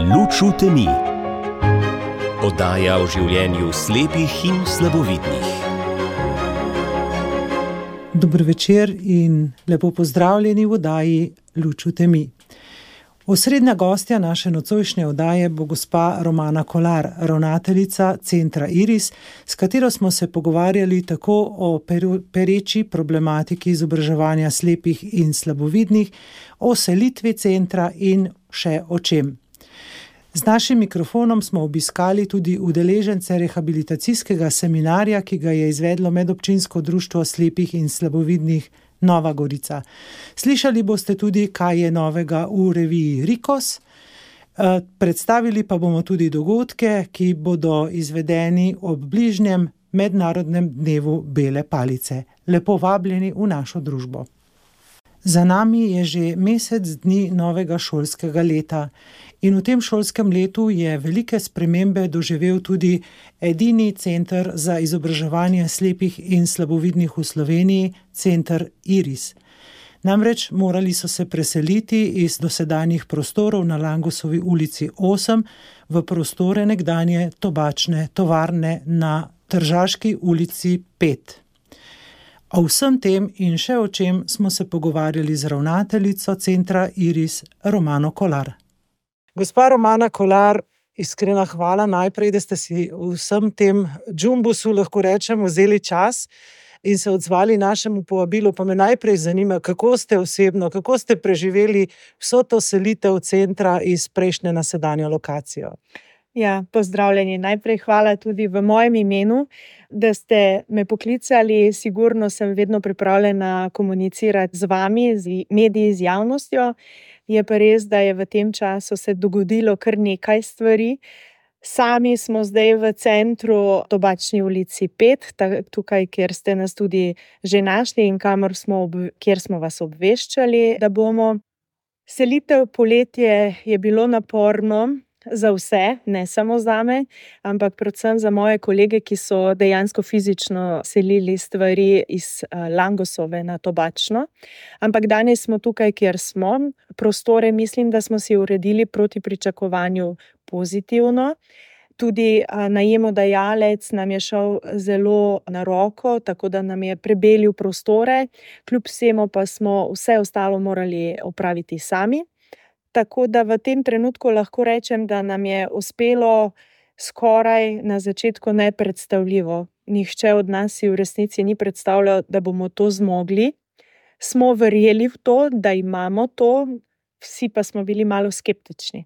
Luč v temi. Oddaja o življenju slepih in slabovidnih. Dober večer in lepo pozdravljeni v oddaji Luč v temi. Osrednja gostja naše nocojšnje oddaje bo gospa Romana Kolar, ravnateljica Centra Iris, s katero smo se pogovarjali tako o pereči problematiki izobraževanja slepih in slabovidnih, o selitvi centra in še o čem. Z našim mikrofonom smo obiskali tudi udeležence rehabilitacijskega seminarja, ki ga je izvedlo Medobčinsko društvo slepih in slabovidnih Nova Gorica. Slišali boste tudi, kaj je novega v reviji Rikos. Predstavili pa bomo tudi dogodke, ki bodo izvedeni ob bližnjem mednarodnem dnevu bele palice. Lepo vabljeni v našo družbo. Za nami je že mesec dni novega šolskega leta in v tem šolskem letu je velike spremembe doživel tudi edini center za izobraževanje slepih in slabovidnih v Sloveniji, Center Iris. Namreč morali so se preseliti iz dosedanjih prostorov na Langosovi ulici 8 v prostore nekdanje tobačne tovarne na Tržaški ulici 5. O vsem tem in še o čem smo se pogovarjali z ravnateljico Centra Iris, Romano Kolar. Gospa Romana Kolar, iskrena hvala najprej, da ste si v vsem tem džumbusu, lahko rečem, vzeli čas in se odzvali našemu povabilu. Pa me najprej zanima, kako ste osebno, kako ste preživeli vso to selitev centra iz prejšnje na sedanjo lokacijo. Ja, pozdravljeni. Najprej hvala tudi v mojem imenu, da ste me poklicali. Sigurno sem vedno pripravljena komunicirati z vami, z mediji, z javnostjo. Je pa res, da je v tem času se dogodilo kar nekaj stvari. Sami smo zdaj v centru Tobačni ulici 5, tukaj, kjer ste nas tudi že našli in kjer smo vas obveščali, da bomo. Selitev poletje je bilo naporno. Za vse, ne samo zame, ampak predvsem za moje kolege, ki so dejansko fizično selili stvari iz Langosove na Tobačno. Ampak danes smo tukaj, kjer smo. Prostore mislim, da smo si uredili proti pričakovanju pozitivno. Tudi najemodajalec nam je šel zelo na roko, tako da nam je prebelil prostore. Kljub vsemu pa smo vse ostalo morali opraviti sami. Tako da v tem trenutku lahko rečem, da nam je uspelo skoraj na začetku nepredstavljivo. Nihče od nas si v resnici ni predstavljal, da bomo to zmogli. Smo verjeli v to, da imamo to, vsi pa smo bili malo skeptični.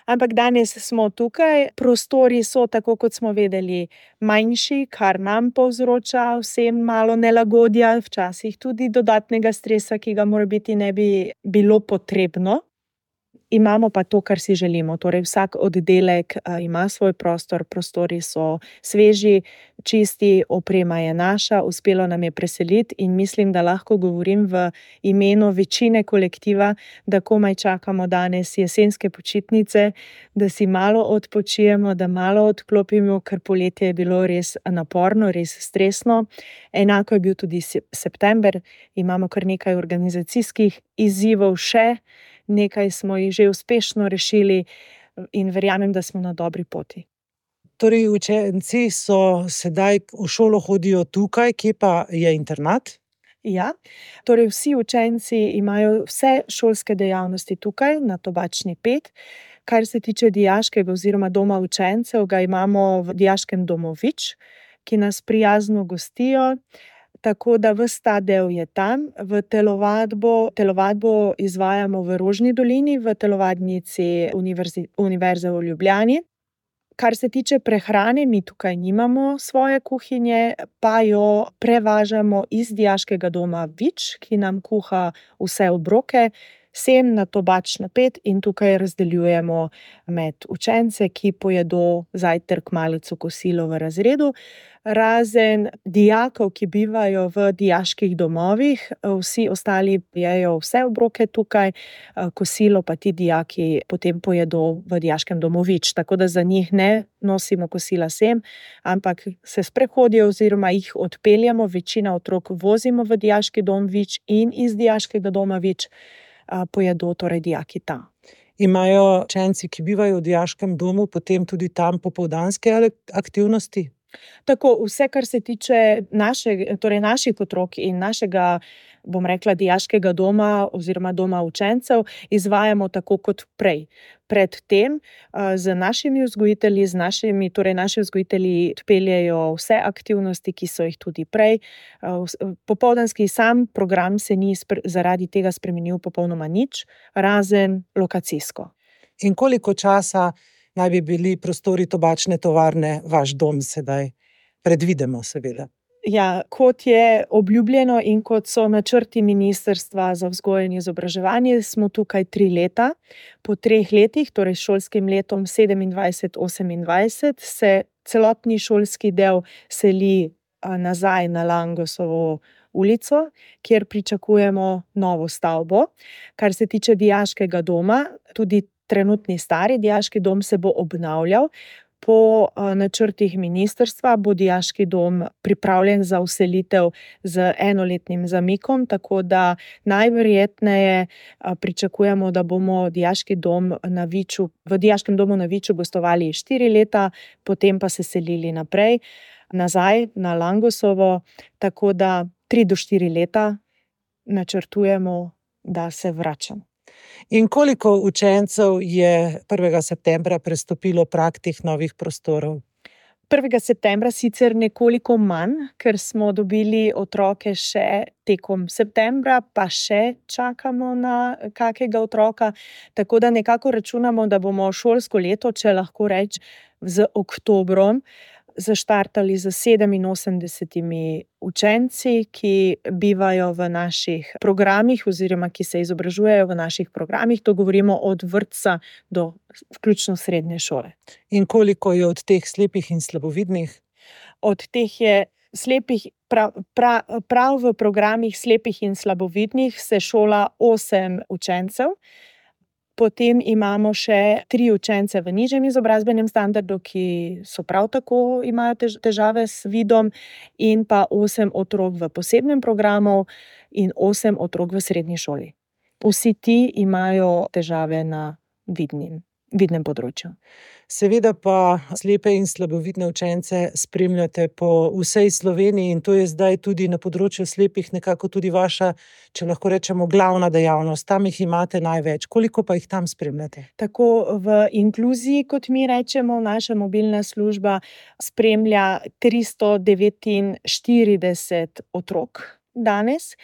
Ampak danes smo tukaj, prostori so, tako kot smo vedeli, manjši, kar nam povzroča vsem malo nelagodja, včasih tudi dodatnega stresa, ki ga morebiti ne bi bilo potrebno. Imamo pa to, kar si želimo. Torej, vsak oddelek ima svoj prostor, prostori so sveži, čisti, oprema je naša, uspelo nam je preseliti in mislim, da lahko govorim v imenu večine kolektiva, da komaj čakamo danes jesenske počitnice, da si malo odpočijemo, da malo odklopimo, ker poletje je bilo res naporno, res stresno. Enako je bil tudi september, imamo kar nekaj organizacijskih izzivov še. Nekaj smo jih že uspešno rešili in verjamem, da smo na dobri poti. Torej, učenci so sedaj v šolo hodijo tukaj, kje pa je internat? Ja, torej vsi učenci imajo vse šolske dejavnosti tukaj na Tobačni 5. Kar se tiče dijaškega oziroma doma učencev, ga imamo v dijaškem domu Vič, ki nas prijazno gostijo. Tako da ves ta del je tam. V telovadbo izvajamo v Rožni dolini, v telovadnici Univerze v Ljubljani. Kar se tiče prehrane, mi tukaj nimamo svoje kuhinje, pa jo prevažamo iz dijaškega doma Vič, ki nam kuha vse obroke, sem na Tobačno 5 in tukaj razdeljujemo med učence, ki pojedo zajtrk, malico, kosilo v razredu. Razen dijakov, ki bivajo v dijaških domovih, vsi ostali jejo vse obroke tukaj, kosilo pa ti dijaki potem pojedo v dijaškem domu Vič. Tako da za njih ne nosimo kosila sem, ampak se sprehodijo oziroma jih odpeljamo, večina otrok vozimo v dijaški dom Vič in iz dijaškega doma Vič pojedo torej dijaki tam. Imajo učenci, ki bivajo v dijaškem domu, potem tudi tam popoldanske aktivnosti? Tako, vse, kar se tiče naših otrok in našega, bom rekla, dijaškega doma oziroma doma učencev, izvajamo tako kot prej. Predtem z našimi vzgojitelji, naši vzgojitelji peljejo vse aktivnosti, ki so jih tudi prej. Popoldanski sam program se ni zaradi tega spremenil popolnoma nič, razen lokacijsko. In koliko časa naj bi bili prostori tobačne tovarne vaš dom sedaj? Predvidemo, seveda. Ja, kot je obljubljeno in kot so načrti Ministrstva za vzgojo in izobraževanje, smo tukaj 3 leta. Po 3 letih, torej s šolskim letom 27-28, se celotni šolski del seli nazaj na Langosovo ulico, kjer pričakujemo novo stavbo. Kar se tiče dijaškega doma, tudi trenutni stari dijaški dom se bo obnavljal. Po načrtih ministrstva bo dijaški dom pripravljen za vselitev z 1-letnim zamikom, tako da najverjetneje pričakujemo, da bomo dijaški dom v dijaškem domu na Viču gostovali 4 leta, potem pa se selili naprej, nazaj na Langosovo, tako da 3 do 4 leta načrtujemo, da se vračamo. In koliko učencev je 1. septembra prestopilo prag teh novih prostorov? 1. septembra sicer nekoliko manj, ker smo dobili otroke še tekom septembra, pa še čakamo na kakega otroka, tako da nekako računamo, da bomo šolsko leto, če lahko rečem, z oktobrom zaštartali z 87 učenci, ki bivajo v naših programih oziroma ki se izobražujejo v naših programih. To govorimo od vrtca do vključno srednje šole. In koliko je od teh slepih in slabovidnih? Od teh je slepih, prav v programih slepih in slabovidnih se šola 8 učencev. Potem imamo še 3 učence v nižjem izobrazbenem standardu, ki so prav tako imajo težave s vidom, in pa 8 otrok v posebnem programu in 8 otrok v srednji šoli. Vsi ti imajo težave na vidnem področju. Seveda pa slepe in slabovidne učence spremljate po vsej Sloveniji in to je zdaj tudi na področju slepih nekako tudi vaša, če lahko rečemo, glavna dejavnost. Tam jih imate največ. Koliko pa jih tam spremljate? Tako v inkluziji, kot mi rečemo, naša mobilna služba spremlja 349 otrok danes,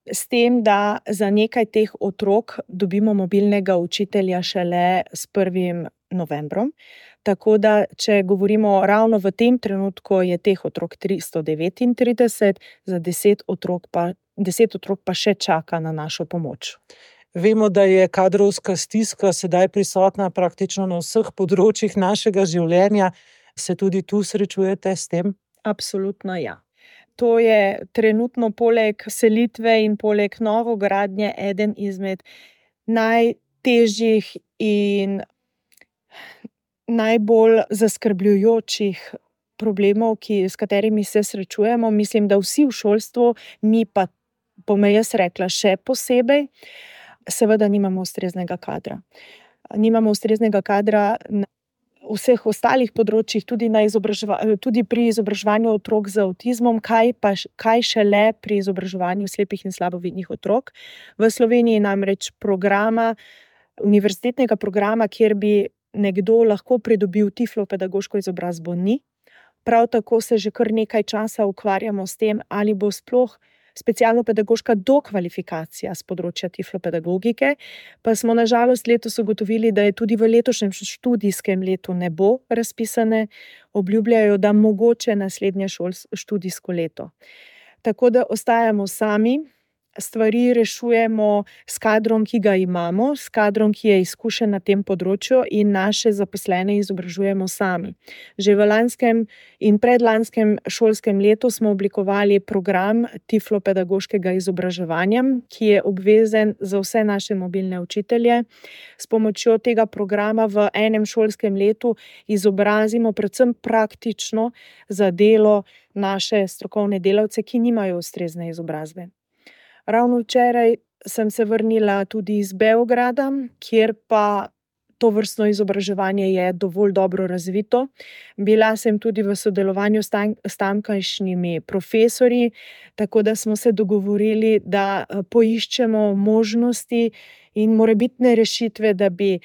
s tem, da za nekaj teh otrok dobimo mobilnega učitelja šele s 1. novembrom. Tako da, če govorimo ravno v tem trenutku, je teh otrok 339, za 10 otrok pa še čaka na našo pomoč. Vemo, da je kadrovska stiska sedaj prisotna praktično na vseh področjih našega življenja. Se tudi tu srečujete s tem? Absolutno ja. To je trenutno poleg selitve in poleg novogradnje eden izmed najtežjih in najbolj zaskrbljujočih problemov, s katerimi se srečujemo. Mislim, da vsi v šolstvu, mi pa, bom jaz rekla, še posebej, seveda nimamo ustreznega kadra. Nimamo ustreznega kadra na vseh ostalih področjih, tudi pri izobraževanju otrok z avtizmom, kaj šele pri izobraževanju slepih in slabovidnih otrok. V Sloveniji namreč univerzitetnega programa, kjer bi nekdo lahko pridobil tiflopedagoško izobrazbo, ni. Prav tako se že kar nekaj časa ukvarjamo s tem, ali bo sploh specialno-pedagoška dokvalifikacija s področja tiflopedagogike, pa smo na žalost letos ugotovili, da je tudi v letošnjem študijskem letu ne bo razpisane, obljubljajo, da mogoče naslednje študijsko leto. Tako da ostajamo sami, stvari rešujemo s kadrom, ki ga imamo, s kadrom, ki je izkušen na tem področju, in naše zaposlene izobražujemo sami. Že v lanskem in predlanskem šolskem letu smo oblikovali program tiflopedagoškega izobraževanja, ki je obvezen za vse naše mobilne učitelje. S pomočjo tega programa v enem šolskem letu izobrazimo predvsem praktično za delo naše strokovne delavce, ki nimajo ustrezne izobrazbe. Ravno včeraj sem se vrnila tudi iz Beograda, kjer pa to vrstno izobraževanje je dovolj dobro razvito. Bila sem tudi v sodelovanju s tamkajšnjimi profesorji, tako da smo se dogovorili, da poiščemo možnosti in morebitne rešitve, da bi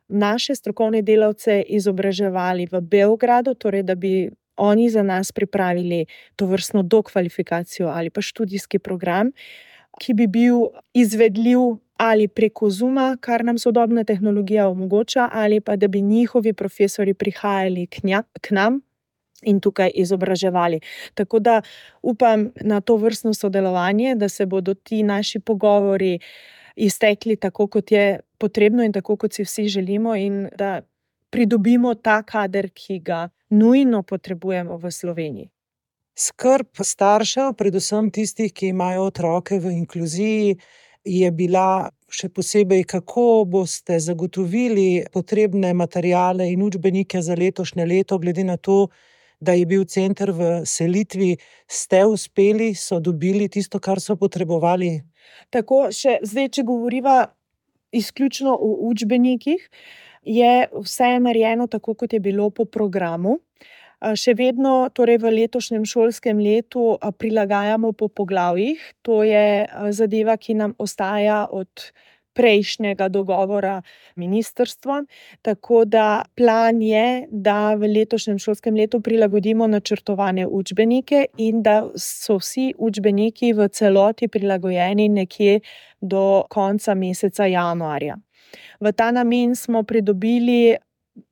naše strokovne delavce izobraževali v Beogradu, torej da bi oni za nas pripravili to vrstno dokvalifikacijo ali pa študijski program, ki bi bil izvedljiv ali preko Zooma, kar nam sodobna tehnologija omogoča, ali pa da bi njihovi profesorji prihajali k nam in tukaj izobraževali. Tako da upam na to vrstno sodelovanje, da se bodo ti naši pogovori iztekli tako, kot je potrebno in tako, kot si vsi želimo, in da pridobimo ta kader, ki ga nujno potrebujemo v Sloveniji. Skrb staršev, predvsem tistih, ki imajo otroke v inkluziji, je bila še posebej, kako boste zagotovili potrebne materiale in učbenike za letošnje leto, glede na to, da je bil center v selitvi. Ste uspeli, so dobili tisto, kar so potrebovali? Tako, zdaj, če govoriva izključno o učbenikih, je vse narejeno tako, kot je bilo po programu. Še vedno, torej v letošnjem šolskem letu, prilagajamo po poglavjih. To je zadeva, ki nam ostaja od prejšnjega dogovora ministrstva. Tako da plan je, da v letošnjem šolskem letu prilagodimo načrtovane učbenike in da so vsi učbeniki v celoti prilagojeni nekje do konca meseca januarja. V ta namen smo pridobili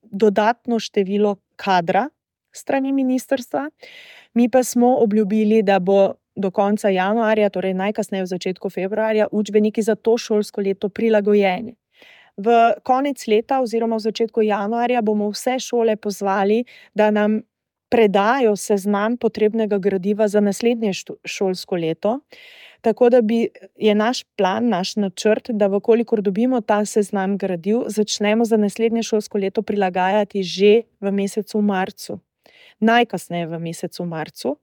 dodatno število kadra strani ministrstva, mi pa smo obljubili, da bo do konca januarja, torej najkasneje v začetku februarja, učbeniki za to šolsko leto prilagojeni. V konec leta oziroma v začetku januarja bomo vse šole pozvali, da nam predajo seznam potrebnega gradiva za naslednje šolsko leto, tako da je naš plan, naš načrt, da vkolikor dobimo ta seznam gradiv, začnemo za naslednje šolsko leto prilagajati že v mesecu marcu. Najkasneje v mesecu marcu,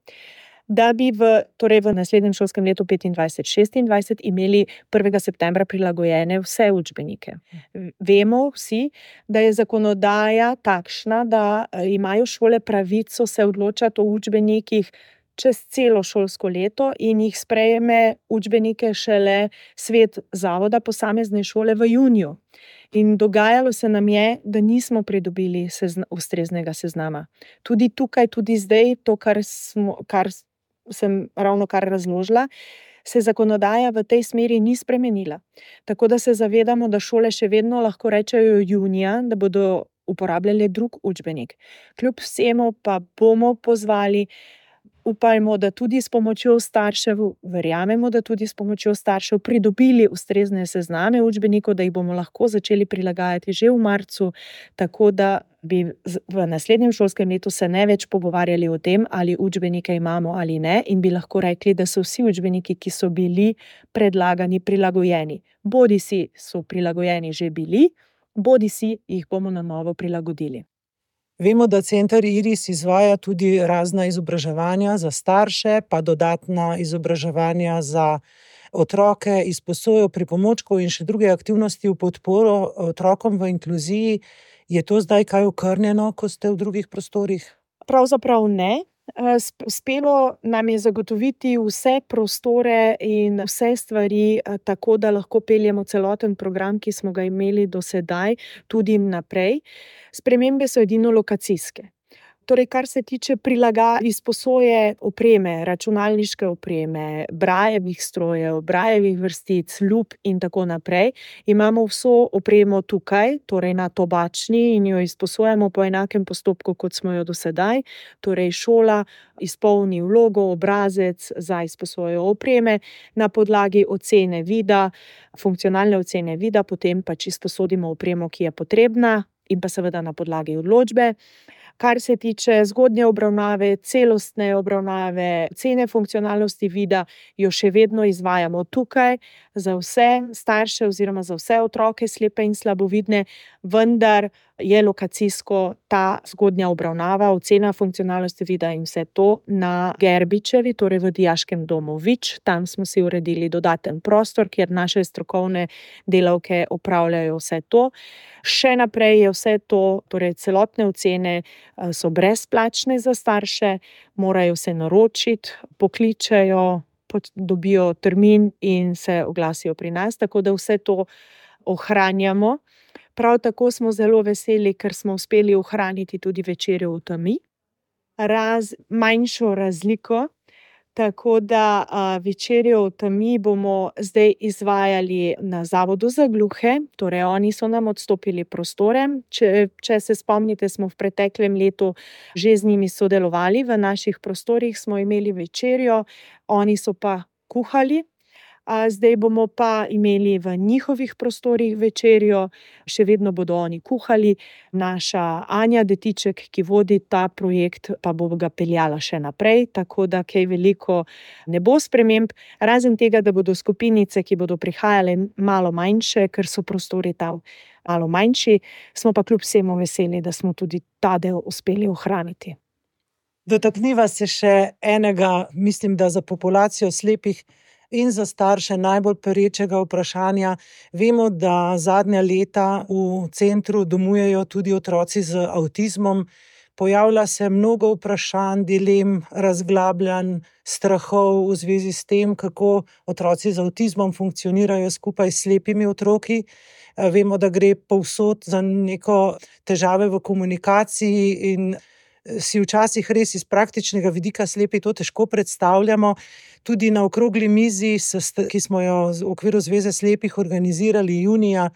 da bi v naslednjem šolskem letu 25-26 imeli 1. septembra prilagojene vse učbenike. Vemo vsi, da je zakonodaja takšna, da imajo šole pravico se odločati o učbenikih čez celo šolsko leto in jih sprejme učbenike šele svet zavoda posamezne šole v juniju. In dogajalo se nam je, da nismo pridobili ustreznega seznama. Tudi tukaj, tudi zdaj, to, kar sem ravnokar razložila, se zakonodaja v tej smeri ni spremenila. Tako da se zavedamo, da šole še vedno lahko rečejo junija, da bodo uporabljali drug učbenik. Kljub vsemu pa bomo pozvali, upajmo, da tudi s pomočjo staršev, verjamemo, da tudi s pomočjo staršev pridobili ustrezne sezname učbenikov, da jih bomo lahko začeli prilagajati že v marcu, tako da bi v naslednjem šolskem letu se ne več pogovarjali o tem, ali učbenike imamo ali ne, in bi lahko rekli, da so vsi učbeniki, ki so bili predlagani, prilagojeni. Bodisi so prilagojeni že bili, bodisi jih bomo na novo prilagodili. Vemo, da center Iris izvaja tudi razna izobraževanja za starše, pa dodatna izobraževanja za otroke, izposojo pripomočkov in še druge aktivnosti v podporo otrokom v inkluziji. Je to zdaj kaj okrnjeno, ko ste v drugih prostorih? Pravzaprav ne. Uspelo nam je zagotoviti vse prostore in vse stvari tako, da lahko peljemo celoten program, ki smo ga imeli do sedaj, tudi naprej. Spremembe so edino lokacijske. Torej, kar se tiče izposoje opreme, računalniške opreme, brajevih strojev, brajevih vrstic, lup in tako naprej, imamo vso opremo tukaj, torej na Tobačni, in jo izposojamo po enakem postopku, kot smo jo do sedaj. Torej, šola izpolni vlogo, obrazec za izposojo opreme, na podlagi ocene vida, funkcionalne ocene vida, potem pač izposodimo opremo, ki je potrebna, in pa seveda na podlagi odločbe. Kar se tiče zgodnje obravnave, celostne obravnave, ocene funkcionalnosti vida, jo še vedno izvajamo tukaj za vse starše oziroma za vse otroke slepe in slabovidne, vendar je lokacijsko ta zgodnja obravnava, ocena funkcionalnosti vida in vse to na Gerbičevi, torej v Dijaškem domu Vič. Tam smo si uredili dodaten prostor, kjer naše strokovne delavke opravljajo vse to. Še naprej je vse to, torej celotne ocene so brezplačne za starše, morajo se naročiti, pokličejo, dobijo termin in se oglasijo pri nas, tako da vse to ohranjamo. Prav tako smo zelo veseli, ker smo uspeli ohraniti tudi večerjo v temi, manjšo razliko, tako da večerjo v temi bomo zdaj izvajali na Zavodu za gluhe, torej oni so nam odstopili prostore. Če se spomnite, smo v preteklem letu že z njimi sodelovali, v naših prostorih smo imeli večerjo, oni so pa kuhali. Zdaj bomo pa imeli v njihovih prostorih večerjo, še vedno bodo oni kuhali. Naša Anja Detiček, ki vodi ta projekt, pa bo ga peljala še naprej, tako da kaj veliko ne bo sprememb, razen tega, da bodo skupinice, ki bodo prihajale, malo manjše, ker so prostori tam malo manjši, smo pa kljub vsemu veseli, da smo tudi ta del uspeli ohraniti. Dotakniva se še enega, mislim, da za populacijo slepih in za starše najbolj perečega vprašanja. Vemo, da zadnja leta v centru domujejo tudi otroci z avtizmom. Pojavlja se mnogo vprašanj, dilem, razglabljanj, strahov v zvezi s tem, kako otroci z avtizmom funkcionirajo skupaj s slepimi otroki. Vemo, da gre povsod za neko težave v komunikaciji in si včasih res iz praktičnega vidika slepi to težko predstavljamo. Tudi na okrogli mizi, ki smo jo v okviru Zveze slepih organizirali junija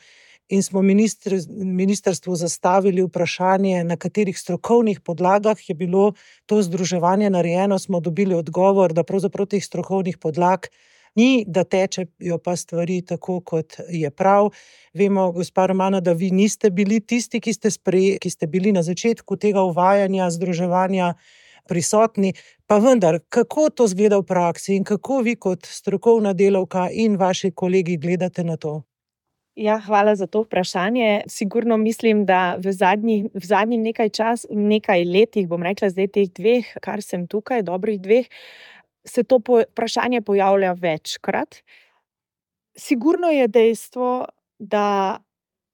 in smo ministrstvu zastavili vprašanje, na katerih strokovnih podlagah je bilo to združevanje narejeno, smo dobili odgovor, da pravzaprav teh strokovnih podlag ni, da tečejo pa stvari tako, kot je prav. Vemo, gospa Romana, da vi niste bili tisti, ki ste bili na začetku tega uvajanja, združevanja prisotni, pa vendar, kako to izgleda v praksi in kako vi kot strokovna delavka in vaši kolegi gledate na to? Ja, hvala za to vprašanje. Sigurno mislim, da v zadnjih nekaj letih, bom rekla zdaj teh 2, kar sem tukaj, dobrih 2, se to vprašanje pojavlja večkrat. Sigurno je dejstvo, da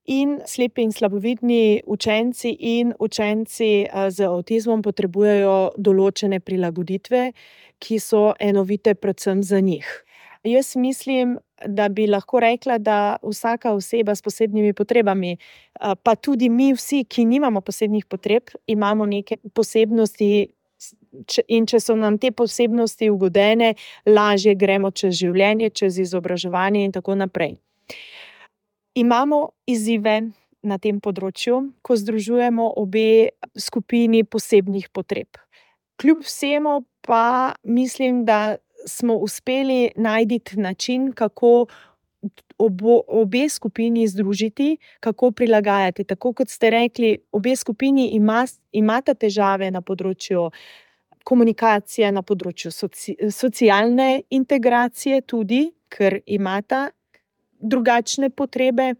in slepi in slabovidni učenci in učenci z avtizmom potrebujejo določene prilagoditve, ki so enovite predvsem za njih. Jaz mislim, da bi lahko rekla, da vsaka oseba s posebnimi potrebami, pa tudi mi vsi, ki nimamo posebnih potreb, imamo neke posebnosti, in če so nam te posebnosti ugodene, lažje gremo čez življenje, čez izobraževanje in tako naprej. Imamo izzive na tem področju, ko združujemo obe skupini posebnih potreb. Kljub vsemu pa mislim, da smo uspeli najti način, kako obe skupini združiti, kako prilagajati. Tako kot ste rekli, obe skupini imata težave na področju komunikacije, na področju socialne integracije tudi, ker imata drugačne potrebe.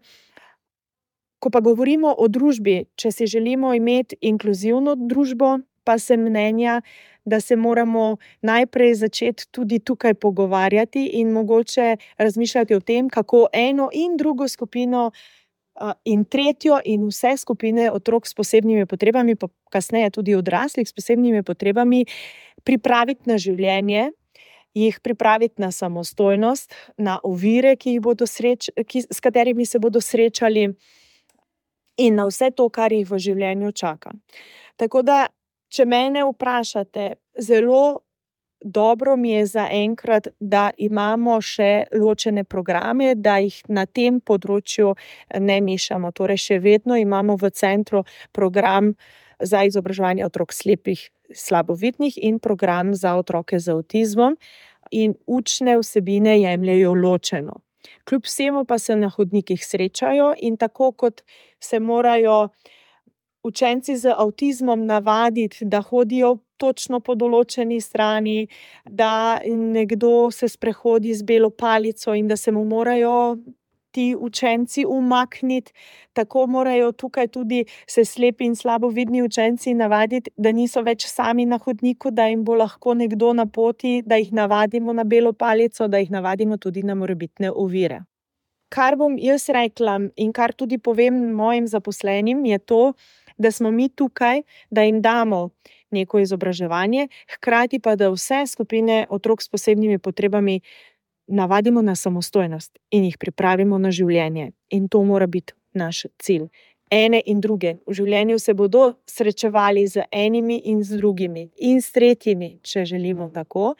Ko pa govorimo o družbi, če si želimo imeti inkluzivno družbo, pa sem mnenja, da se moramo najprej začeti tudi tukaj pogovarjati in mogoče razmišljati o tem, kako eno in drugo skupino in tretjo in vse skupine otrok s posebnimi potrebami, pa kasneje tudi odraslih s posebnimi potrebami, pripraviti na življenje, jih pripraviti na samostojnost, na ovire, s katerimi se bodo srečali, in na vse to, kar jih v življenju čaka. Tako da, če mene vprašate, zelo dobro mi je zaenkrat, da imamo še ločene programe, da jih na tem področju ne mešamo. Torej, še vedno imamo v centru program za izobraževanje otrok slepih, slabovidnih in program za otroke z avtizmom in učne vsebine jemljejo ločeno. Kljub vsemu pa se na hodnikih srečajo in tako kot se morajo učenci z avtizmom navaditi, da hodijo točno po določeni strani, da nekdo se sprehodi z belo palico in da se mu morajo ti učenci umakniti, tako morajo tukaj tudi se slepi in slabovidni učenci navaditi, da niso več sami na hodniku, da jim bo lahko nekdo na poti, da jih navadimo na belo palico, da jih navadimo tudi na morebitne ovire. Kar bom jaz rekla in kar tudi povem mojim zaposlenim, je to, da smo mi tukaj, da jim damo neko izobraževanje, hkrati pa, da vse skupine otrok s posebnimi potrebami navadimo na samostojnost in jih pripravimo na življenje. In to mora biti naš cilj. Ene in druge. V življenju se bodo srečevali z enimi in z drugimi in s tretjimi, če želimo tako.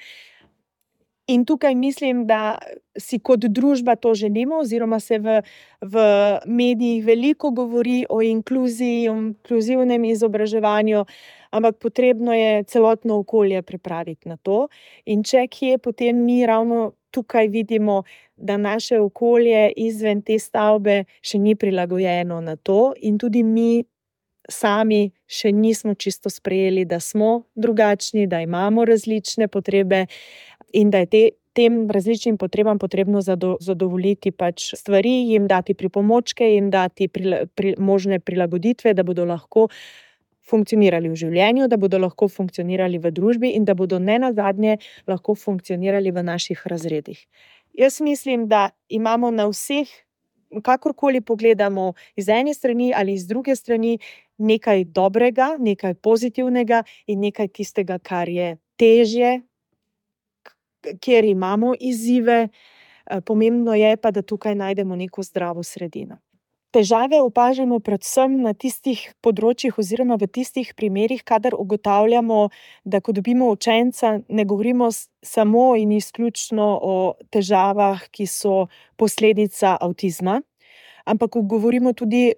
In tukaj mislim, da si kot družba to želimo, oziroma se v medijih veliko govori o inkluziji, o inkluzivnem izobraževanju, ampak potrebno je celotno okolje pripraviti na to. In če kje, potem mi ravno tukaj vidimo, da naše okolje izven te stavbe še ni prilagojeno na to, in tudi mi sami še nismo čisto sprejeli, da smo drugačni, da imamo različne potrebe in da je tem različnim potrebam potrebno zadovoljiti pač stvari, jim dati pripomočke, jim dati možne prilagoditve, da bodo lahko funkcionirali v življenju, da bodo lahko funkcionirali v družbi in da bodo nenazadnje lahko funkcionirali v naših razredih. Jaz mislim, da imamo na vseh, kakorkoli pogledamo, iz ene strani ali iz druge strani, nekaj dobrega, nekaj pozitivnega in nekaj tistega, kar je težje, kjer imamo izzive. Pomembno je pa, da tukaj najdemo neko zdravo sredino. Težave opažamo predvsem na tistih področjih oziroma v tistih primerih, kadar ugotavljamo, da ko dobimo učenca, ne govorimo samo in izključno o težavah, ki so posledica avtizma, ampak govorimo tudi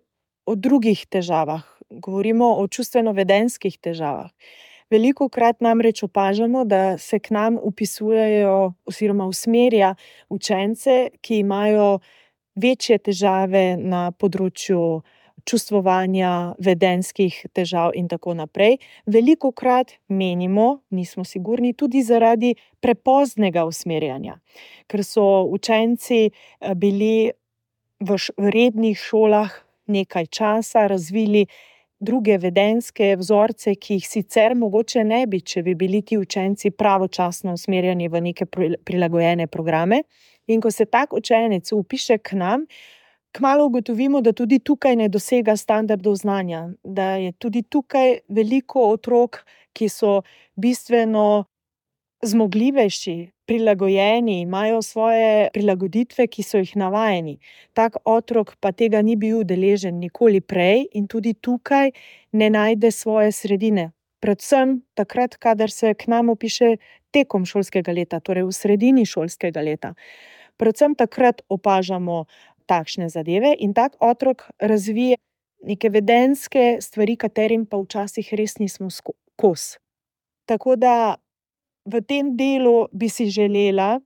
o drugih težavah, govorimo o čustveno-vedenjskih težavah. Velikokrat namreč opažamo, da se k nam vpisujejo oziroma usmerja učence, ki imajo večje težave na področju čustvovanja, vedenjskih težav in tako naprej. Velikokrat menimo, nismo sigurni, tudi zaradi prepoznega usmerjanja, ker so učenci bili v rednih šolah nekaj časa, razvili druge vedenjske vzorce, ki jih sicer mogoče ne bi, če bi bili ti učenci pravočasno usmerjeni v neke prilagojene programe. In ko se tak učenec vpiše k nam, kmalu ugotovimo, da tudi tukaj ne dosega standardov znanja, da je tudi tukaj veliko otrok, ki so bistveno zmogljivejši, prilagojeni, imajo svoje prilagoditve, ki so jih navajeni. Tak otrok pa tega ni bil deležen nikoli prej in tudi tukaj ne najde svoje sredine. Predvsem takrat, kadar se k nam vpiše tekom šolskega leta, torej v sredini šolskega leta. Predvsem takrat opažamo takšne zadeve in tak otrok razvije neke vedenjske stvari, katerim pa včasih res nismo kos. Tako da v tem delu bi si želela,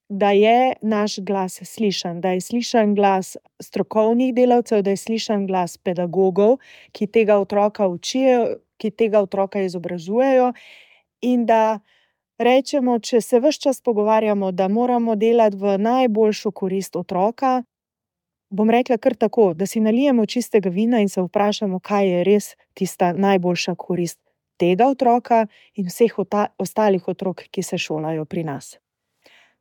da je naš glas slišan, da je slišan glas strokovnih delavcev, da je slišan glas pedagogov, ki tega otroka učijo, ki tega otroka izobražujejo, in da rečemo, če se ves čas pogovarjamo, da moramo delati v najboljšo korist otroka, bom rekla kar tako, da si nalijemo čistega vina in se vprašamo, kaj je res tista najboljša korist tega otroka in vseh ostalih otrok, ki se šolajo pri nas.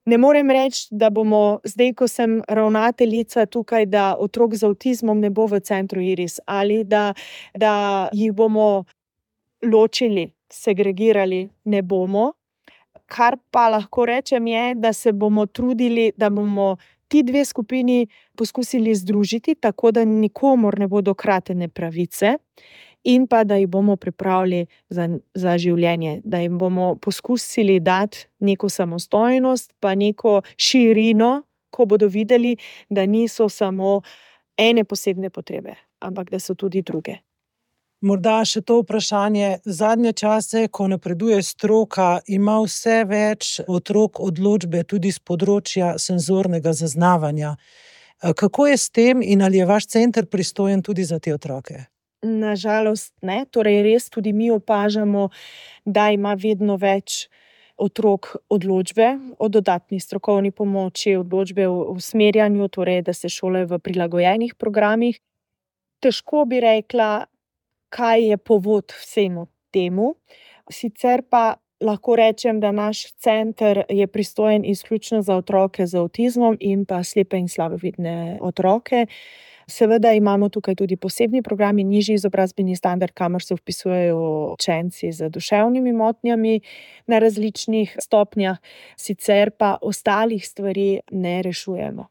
Ne morem reči, da bomo zdaj, ko sem ravnateljica tukaj, da otrok z avtizmom ne bo v centru Iris ali da jih bomo ločili, segregirali, ne bomo. Kar pa lahko rečem je, da se bomo trudili, da bomo ti dve skupini poskusili združiti, tako da nikomur ne bodo kratene pravice, in pa da jih bomo pripravili za življenje, da jim bomo poskusili dati neko samostojnost, pa neko širino, ko bodo videli, da niso samo ene posebne potrebe, ampak da so tudi druge. Morda še to vprašanje. Zadnje čase, ko napreduje stroka, ima vse več otrok odločbe tudi z področja senzornega zaznavanja. Kako je s tem in ali je vaš center pristojen tudi za te otroke? Nažalost ne, torej res tudi mi opažamo, da ima vedno več otrok odločbe o dodatni strokovni pomoči, odločbe o usmerjanju, torej da se šolajo v prilagojenih programih. Težko bi rekla, kaj je povod vsemu temu. Sicer pa lahko rečem, da naš center je pristojen izključno za otroke z avtizmom in pa slepe in slabovidne otroke. Seveda imamo tukaj tudi posebni programi, nižji izobrazbeni standard, kamor se vpisujejo učenci z duševnimi motnjami na različnih stopnjah, sicer pa ostalih stvari ne rešujemo.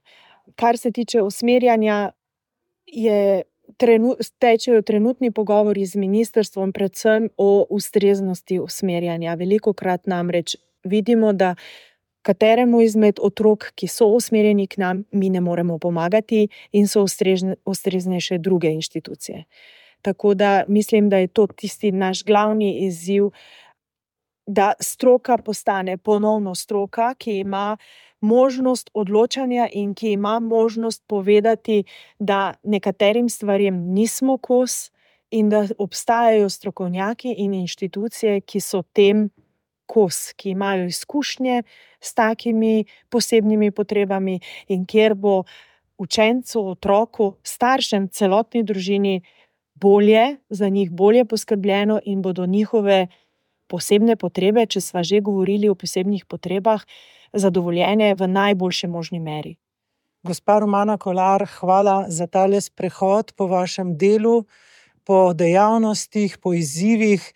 Kar se tiče usmerjanja, tečejo trenutni pogovori z ministrstvom predvsem o ustreznosti usmerjanja. Velikokrat namreč vidimo, da kateremu izmed otrok, ki so usmerjeni k nam, mi ne moremo pomagati in so ustreznejše druge inštitucije. Tako da mislim, da je to tisti naš glavni izziv, da stroka postane ponovno stroka, ki ima možnost odločanja in ki ima možnost povedati, da nekaterim stvarem nismo kos in da obstajajo strokovnjaki in inštitucije, ki so tem kos, ki imajo izkušnje s takimi posebnimi potrebami in kjer bo učencu, otroku, staršem, celotni družini za njih bolje poskrbljeno in bodo njihove posebne potrebe, če sva že govorili o posebnih potrebah, zadovoljene v najboljši možni meri. Gospa Romana Kolar, hvala za tale sprehod po vašem delu, po dejavnostih, po izzivih.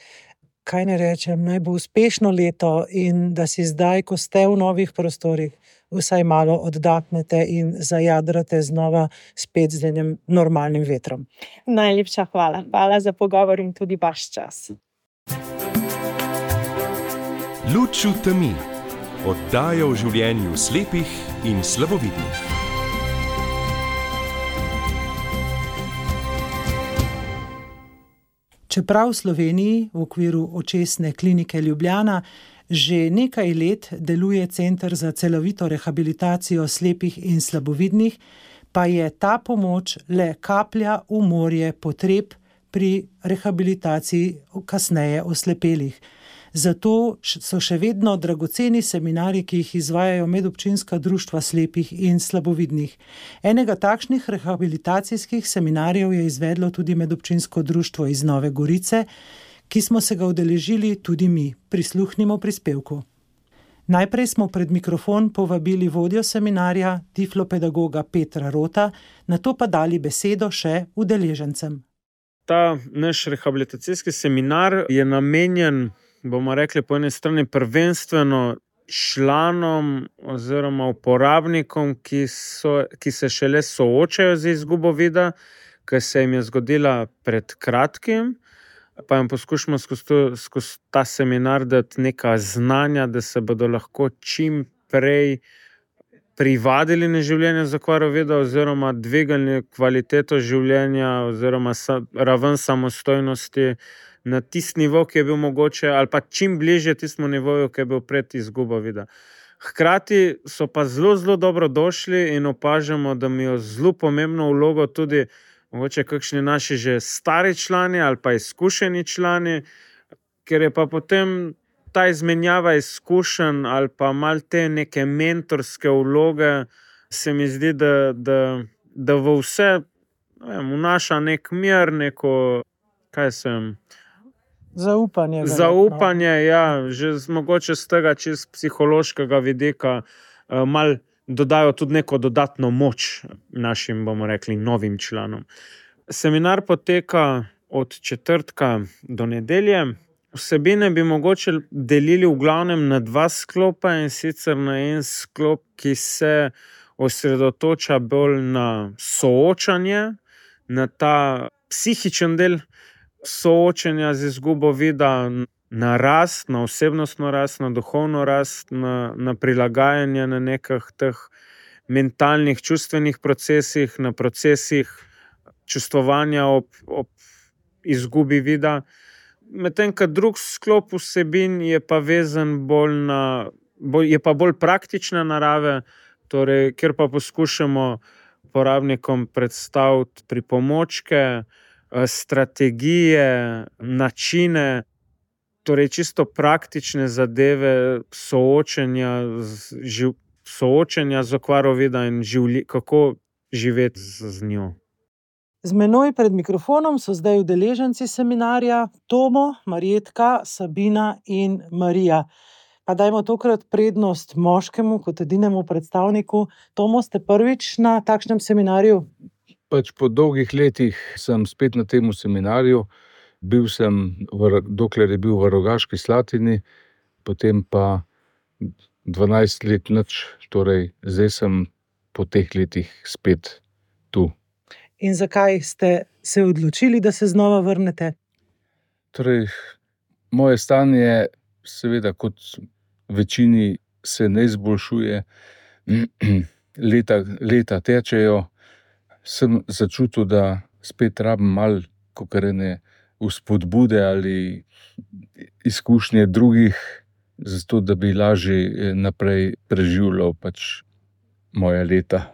Kaj ne rečem, naj bo uspešno leto in da si zdaj, ko ste v novih prostorih, vsaj malo oddahnete in zajadrate znova spet z enim normalnim vetrom. Najlepša hvala. Hvala za pogovor in tudi vaš čas. Luč v temi. Oddaja o življenju slepih in slabovidnih. Čeprav v Sloveniji v okviru Očesne klinike Ljubljana že nekaj let deluje Center za celovito rehabilitacijo slepih in slabovidnih, pa je ta pomoč le kaplja v morje potreb pri rehabilitaciji kasneje oslepelih. Zato so še vedno dragoceni seminarji, ki jih izvajajo medobčinska društva slepih in slabovidnih. Enega takšnih rehabilitacijskih seminarjev je izvedlo tudi medobčinsko društvo iz Nove Gorice, ki smo se ga udeležili tudi mi. Prisluhnimo prispevku. Najprej smo pred mikrofon povabili vodjo seminarja, tiflopedagoga Petra Rota, nato pa dali besedo še udeležencem. Ta naš rehabilitacijski seminar je namenjen, bomo rekli, po eni strani prvenstveno članom oziroma uporabnikom, ki se šele soočajo z izgubo vida, ki se jim je zgodila pred kratkim, pa jim poskušamo skozi ta seminar dati neka znanja, da se bodo lahko čim prej privadili na življenje z okvaro vida oziroma dvigali kvaliteto življenja oziroma raven samostojnosti na tisti nivo, ki je bil mogoče, ali pa čim bližje tistemu nivoju, ki je bil pred izgubo vida. Hkrati so pa zelo, zelo dobro došli in opažamo, da imajo zelo pomembno vlogo tudi mogoče kakšni naši že stari člani ali pa izkušeni člani, ker je pa potem ta izmenjava izkušenj ali pa malo te neke mentorske vloge, se mi zdi, da v vse vnaša nek mir, neko, zaupanje, ja, že mogoče z tega čisto psihološkega vidika malo dodajo tudi neko dodatno moč našim, bomo rekli, novim članom. Seminar poteka od četrtka do nedelje. Vsebine bi mogoče delili v glavnem na dva sklopa, in sicer na en sklop, ki se osredotoča bolj na soočanje, na ta psihičen del soočenja z izgubo vida, na rast, na osebnostno rast, na duhovno rast, na prilagajanje na nekih teh mentalnih, čustvenih procesih, na procesih čustvovanja ob izgubi vida. Medtem ko drug sklop vsebin je pa vezan bolj praktične narave, torej, kjer pa poskušamo uporabnikom predstaviti pripomočke, strategije, načine, Torej, čisto praktične zadeve soočenja z okvaro vida in kako živeti z njo. Z menoj pred mikrofonom so zdaj udeleženci seminarja Tomo, Marjetka, Sabina in Marija. Pa dajmo tokrat prednost moškemu kot edinemu predstavniku. Tomo, ste prvič na takšnem seminarju? Pač po dolgih letih sem spet na tem seminarju. Bil sem, dokler je bil v Rogaški Slatini, potem pa 12 let nič, torej zdaj sem po teh letih spet tu. In zakaj ste se odločili, da se znova vrnete? Torej, moje stanje seveda kot večini se ne izboljšuje. Leta tečejo. Sem začutil, da spet rabim malo kokarene vzpodbude ali izkušnje drugih, zato da bi lažje naprej preživljal pač moja leta.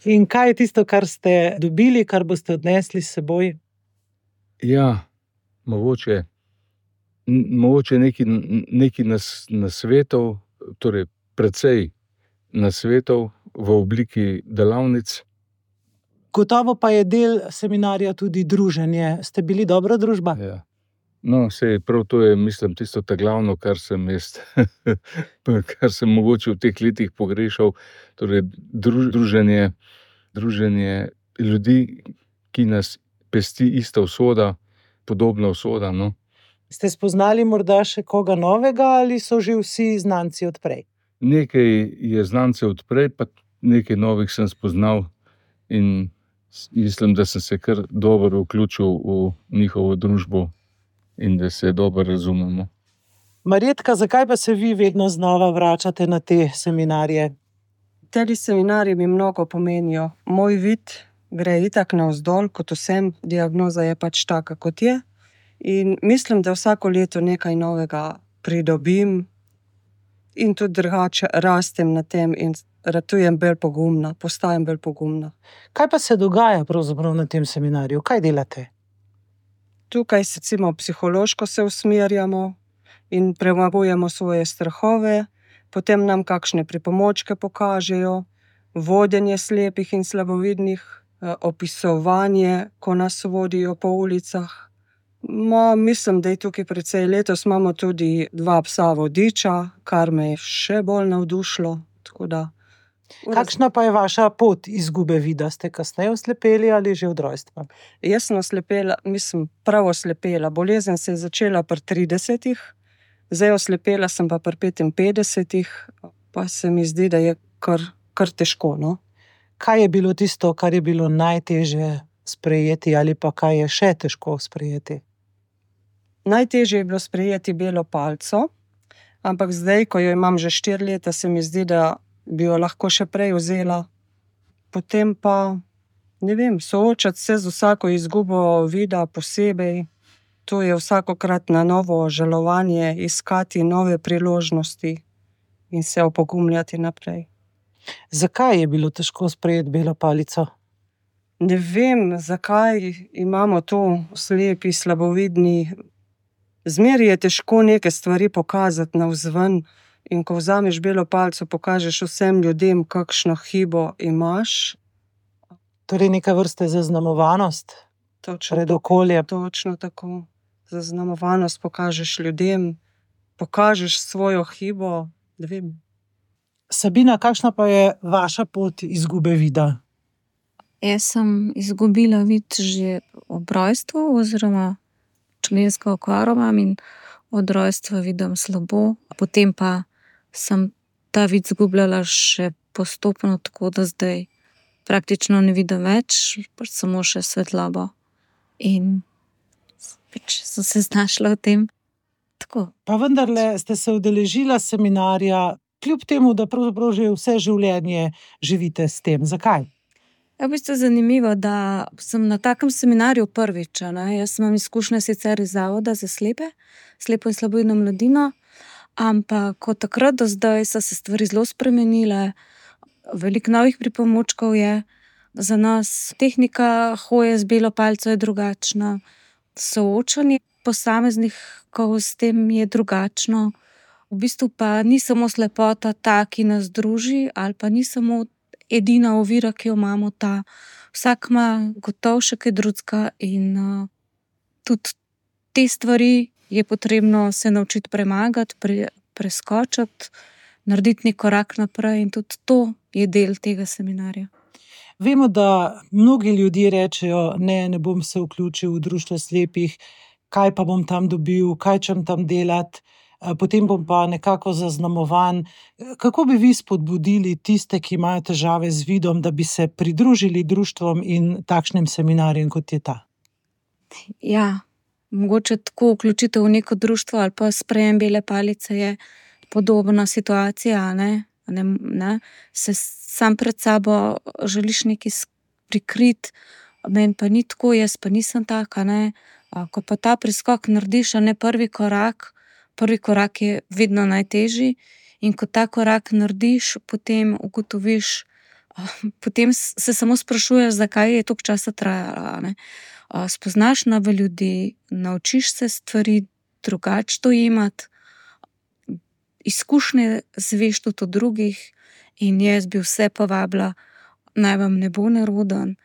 In kaj je tisto, kar ste dobili, kar boste odnesli s seboj? Ja, mogoče nekaj nasvetov, torej precej nasvetov v obliki delavnic. Gotovo pa je del seminarja tudi druženje. Ste bili dobra družba? Ja. No, sej prav to je, mislim, tisto glavno, kar sem mogoče v teh letih pogrešal. Torej, druženje ljudi, ki nas pesti ista usoda, podobna usoda, no. Ste spoznali morda še koga novega ali so že vsi znanci odprej? Nekaj je znancev odprej, pa nekaj novih sem spoznal in mislim, da sem se kar dobro vključil v njihovo družbo in da se dobro razumemo. Marjetka, zakaj pa se vi vedno znova vračate na te seminarje? Te seminarji mi mnogo pomenijo. Moj vid gre itak navzdol, kot vsem, diagnoza je pač taka, kot je. In mislim, da vsako leto nekaj novega pridobim in tudi drugače rastem na tem in ratujem bolj pogumna, postajam bolj pogumna. Kaj pa se dogaja pravzaprav na tem seminarju? Kaj delate? Tukaj recimo psihološko se usmerjamo in premagujemo svoje strahove, potem nam kakšne pripomočke pokažejo, vodenje slepih in slabovidnih, opisovanje, ko nas vodijo po ulicah. Mislim, da je tukaj precej. Letos imamo tudi 2 psa vodiča, kar me je še bolj navdušilo. Kakšna pa je vaša pot izgube vida? Ste kasneje oslepeli ali že od rojstva? Jaz sem oslepela, prav oslepela. Bolezen se je začela pri 30-ih, zdaj oslepela sem pa pri 55-ih, pa se mi zdi, da je kar težko, no. Kaj je bilo tisto, kar je bilo najtežje sprejeti ali pa kaj je še težko sprejeti? Najtežje je bilo sprejeti belo palico, ampak zdaj, ko jo imam že 4 leta, se mi zdi, da bi jo lahko še prej vzela. Potem pa, ne vem, soočati se z vsako izgubo vida posebej. To je vsakokrat na novo žalovanje, iskati nove priložnosti in se opogumljati naprej. Zakaj je bilo težko sprejeti belo palico? Ne vem, zakaj imamo to slepi, slabovidni. Zmeraj je težko neke stvari pokazati navzven in ko vzameš belo palico, pokažeš vsem ljudem, kakšno hibo imaš. Torej neka vrste zaznamovanost pred okoljem. Točno tako. Zaznamovanost pokažeš ljudem, pokažeš svojo hibo, ne vem. Sabina, kakšna pa je vaša pot izgube vida? Jaz sem izgubila vid že ob rojstvu oziroma člensko okvaro imam in od rojstva vidim slabo. Potem pa sem ta vid izgubljala še postopno, tako da zdaj praktično ne vidim več, pač samo še svetlobo. In pač sem se znašla v tem. Tako. Pa vendarle ste se udeležila seminarja, kljub temu, da pravzaprav že vse življenje živite s tem. Zakaj? V bistvu je zanimivo, da sem na takem seminarju prvič. Jaz imam izkušnje sicer iz zavoda za slepo in slabovidno mladino, ampak od takrat do zdaj so se stvari zelo spremenile. Veliko novih pripomočkov je za nas. Tehnika hoje z belo palico je drugačna. Soočanje posameznikov s tem je drugačno. V bistvu pa ni samo slepota ta, ki nas druži, ali pa ni samo edina ovira, ki jo imamo ta. Vsak ima gotovo še kaj drugega in tudi te stvari je potrebno se naučiti premagati, preskočiti, narediti nek korak naprej in tudi to je del tega seminarja. Vemo, da mnogi ljudje rečejo, ne bom se vključil v društvo slepih, kaj pa bom tam dobil, kaj čem tam delati, potem bom pa nekako zaznamovan. Kako bi vi spodbudili tiste, ki imajo težave z vidom, da bi se pridružili društvom in takšnim seminarjem, kot je ta? Ja, mogoče tako vključitev v neko društvo ali pa sprejem bele palice je podobna situacija, ne? Se sam pred sabo želiš nekaj prikriti, meni pa ni tako, jaz pa nisem taka, ne. Ko pa ta preskok narediš, a ne prvi korak je vedno najtežji in ko ta korak narediš, potem ugotoviš, potem se samo sprašuješ, zakaj je toliko časa trajalo, ne. Spoznaš nove ljudi, naučiš se stvari drugače dojemati, izkušnje zveš tudi od drugih in jaz bi vse povabila, naj vam ne bo neroden,